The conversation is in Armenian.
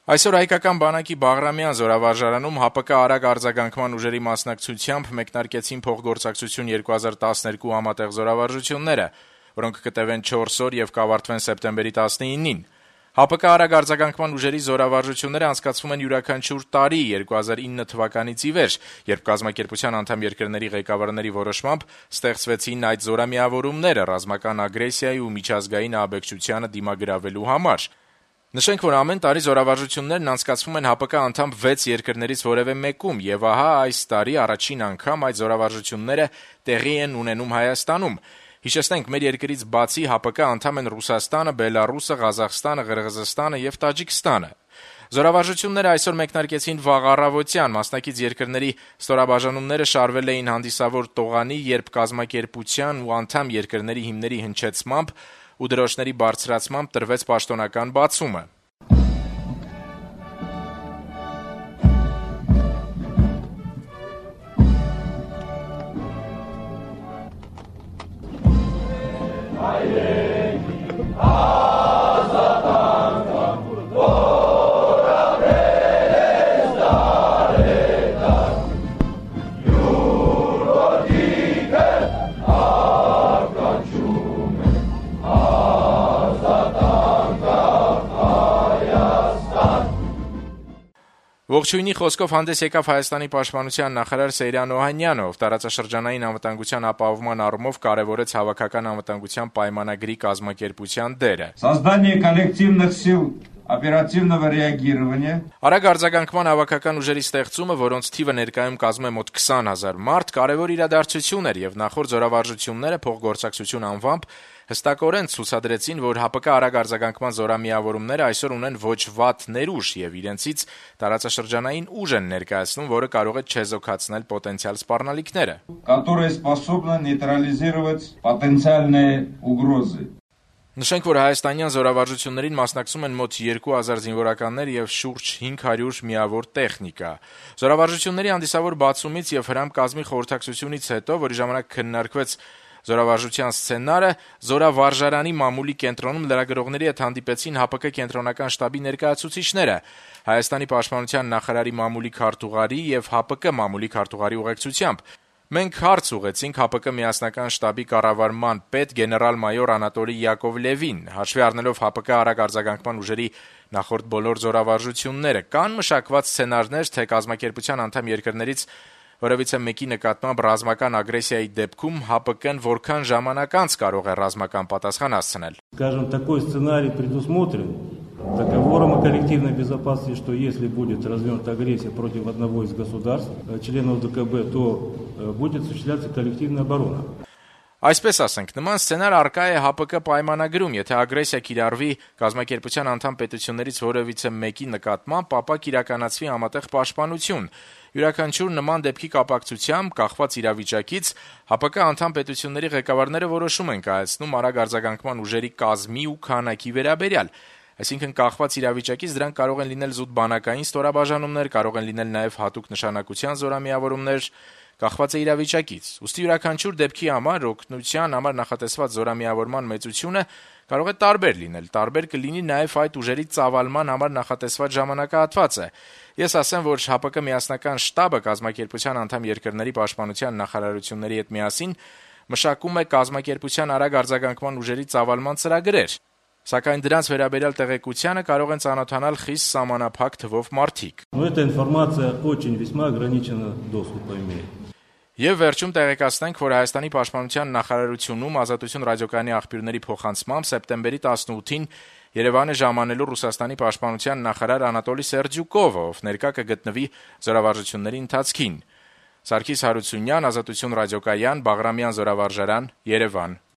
Այսօր հայկական բանակի Բաղրամյան զորավարժարանում ՀԱՊԿ արագ արձագանքման ուժերի մասնակցությամբ մեկնարկեցին փոխգործակցություն 2012 համատեղ զորավարժությունները, որոնք կտևեն 4 օր եւ կավարտվեն սեպտեմբերի 19-ին։ ՀԱՊԿ արագ արձագանքման ուժերի զորավարժությունները անցկացվում են յուրաքանչյուր տարի 2009 թվականից ի վեր, երբ կազմակերպության անդամ երկրների ղեկավարների որոշմամբ ստեղծվեցին այդ զորամիավորումները ռազմական ագրեսիայի ու միջազգային ահաբեկչությանը դիմագրավելու համար։ Նշենք, որ ամեն տարի զորավարժություններն անցկացվում են ՀԱՊԿ անդամ 6 երկրներից որևէ մեկում, եւ ահա այս տարի առաջին անգամ այդ զորավարժությունները տեղի են ունենում Հայաստանում։ Հիշեցնենք, մեր երկրից բացի ՀԱՊԿ անդամ են Ռուսաստանը, Բելարուսը, Ղազախստանը, Ղրղզստանը եւ Տաջիկստանը։ Զորավարժությունները այսօր մեկնարկեցին վաղ առավոտյան, մասնակից երկրների ստորաբաժանումները շարվել էին հանդիսավոր տողանի, երբ կազմակերպության ու անդամ երկրների հիմների հնչեցմամբ ու դրոշների բարձրացմամբ տրվեց պաշտոնական բացումը։ Ողջույնի խոսքով հանդես եկավ Հայաստանի պաշտպանության նախարար Սեյրան Օհանյանը, ով տարածաշրջանային անվտանգության ապահովման առումով կարևորեց հավաքական անվտանգության պայմանագրի կազմակերպության դերը։ Создание коллективных сил оперативного реагирования. Արագ արձագանքման հավաքական ուժերի ստեղծումը, որոնց թիվը ներկայում կազմում է մոտ 20,000 մարդ, կարևոր իրադարձություն էր եւ նախորդ զորավարժությունները փոխգործակցություն անվամբ հստակորեն ցուցադրեցին, որ ՀԱՊԿ արագ արձագանքման զորամիավորումները այսօր ունեն ոչ վատ ներուժ եւ իրենցից տարածաշրջանային ուժ են ներկայացնում, որը կարող է չեզոքացնել պոտենցիալ սպառնալիքները, которые способны нейтрализировать потенциальные угрозы. Նշենք, որ հայաստանյան զորավարժություններին մասնակցում են մոտ 2000 զինվորականներ եւ շուրջ 500 միավոր տեխնիկա։ Զորավարժությունների հանդիսավոր բացումից եւ հրամ կազմի խորհրդակցությունից հետո, որի ժամանակ քննարկվեց զորավարժության սցենարը, զորավարժարանի մամուլի կենտրոնում լրագրողների հետ հանդիպեցին ՀԱՊԿ կենտրոնական շտաբի ներկայացուցիչները, Հայաստանի պաշտպանության նախարարի մամուլի քարտուղարի եւ ՀԱՊԿ մամուլի քարտուղարի ուղեկցությամբ։ Մենք հարց ուղեցինք ՀԱՊԿ միասնական շտաբի կառավարման պետ գեներալ-մայոր Անատոլի Յակովլևին, հաշվի առնելով ՀԱՊԿ արագ արձագանքման ուժերի նախորդ բոլոր զորավարժությունները, կան մշակված սցենարներ, թե կազմակերպության անդամ երկրներից որևիցե մեկի нկատմամբ ռազմական ագրեսիայի դեպքում ՀԱՊԿ-ն որքան ժամանակ անց կարող է ռազմական պատասխան հասցնել։ Скажем, такой сценарий предусмотрен договором о коллективной безопасности, что если будет развернута агрессия против одного из государств, членов ДКБ, то будет осуществляться коллективная оборона. Այսպես ասենք, նման սցենար առկա է ՀԱՊԿ պայմանագրում, եթե ագրեսիա կիրառվի կազմակերպության անդամ պետություններից որևիցե մեկի նկատմամբ, ապա կիրականացվի համատեղ պաշտպանություն։ Յուրաքանչյուր նման դեպքի կապակցությամբ, կախված իրավիճակից, ՀԱՊԿ անդամ պետությունների ղեկավարները որոշում են կայացնում արագ արձագանքման ուժերի կազմի ու քանակի վերաբերյալ։ Այսինքն կախված իրավիճակից դրանք կարող են լինել զուտ բանակային ստորաբաժանումներ, կարող են լինել նաև հատուկ նշանակության զորամիավորումներ, կախված է իրավիճակից։ Ուստի յուրաքանչյուր դեպքի համար օգնության համար նախատեսված զորամիավորման մեծությունը կարող է տարբեր լինել, տարբեր կլինի նաև այդ ուժերի ծավալման համար նախատեսված ժամանակահատվածը։ Ես ասեմ, որ ՀԱՊԿ միասնական շտաբը կազմակերպության անդամ երկրների պաշտպանության նախարարությունների հետ միասին մշակում է կազմակերպության արագ արձագանքման ուժերի ծավալման ծրագրեր, սակայն դրանց վերաբերյալ տեղեկությանը կարող են ծանոթանալ խիստ սահմանափակ թվով մարդիկ։ Но эта информация очень весьма ограниченного доступа имеет. Եվ վերջում տեղեկացնենք, որ Հայաստանի պաշտպանության նախարարությունում Ազատություն ռադիոկայանի աղբյուրների փոխանցմամբ սեպտեմբերի 18-ին Երևան է ժամանելու Ռուսաստանի պաշտպանության նախարար Անատոլի Սերդյուկովը, ով ներկա կգտնվի զորավարժությունների ընթացքին։ Սարգիս Հարությունյան, Ազատություն ռադիոկայան, Բաղրամյան զորավարժարան, Երևան։